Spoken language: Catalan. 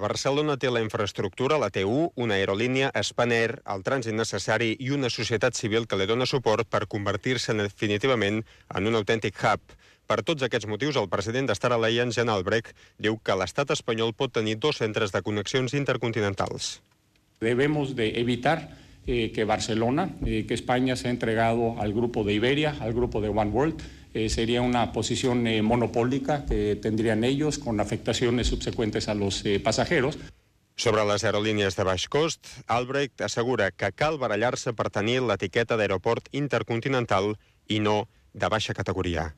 Barcelona té la infraestructura, la T1, una aerolínia, Spanair, el trànsit necessari i una societat civil que li dona suport per convertir-se definitivament en un autèntic hub. Per tots aquests motius, el president de Star Alliance, Jan Albrecht, diu que l'estat espanyol pot tenir 2 centres de connexions intercontinentals. Debemos de evitar que Barcelona, que España se ha entregado al grupo de Iberia, al grupo de One World. Sería una posición monopólica que tendrían ellos con afectaciones subsecuentes a los pasajeros. Sobre les aerolínies de baix cost, Albrecht assegura que cal barallar-se per tenir l'etiqueta d'aeroport intercontinental i no de baixa categoria.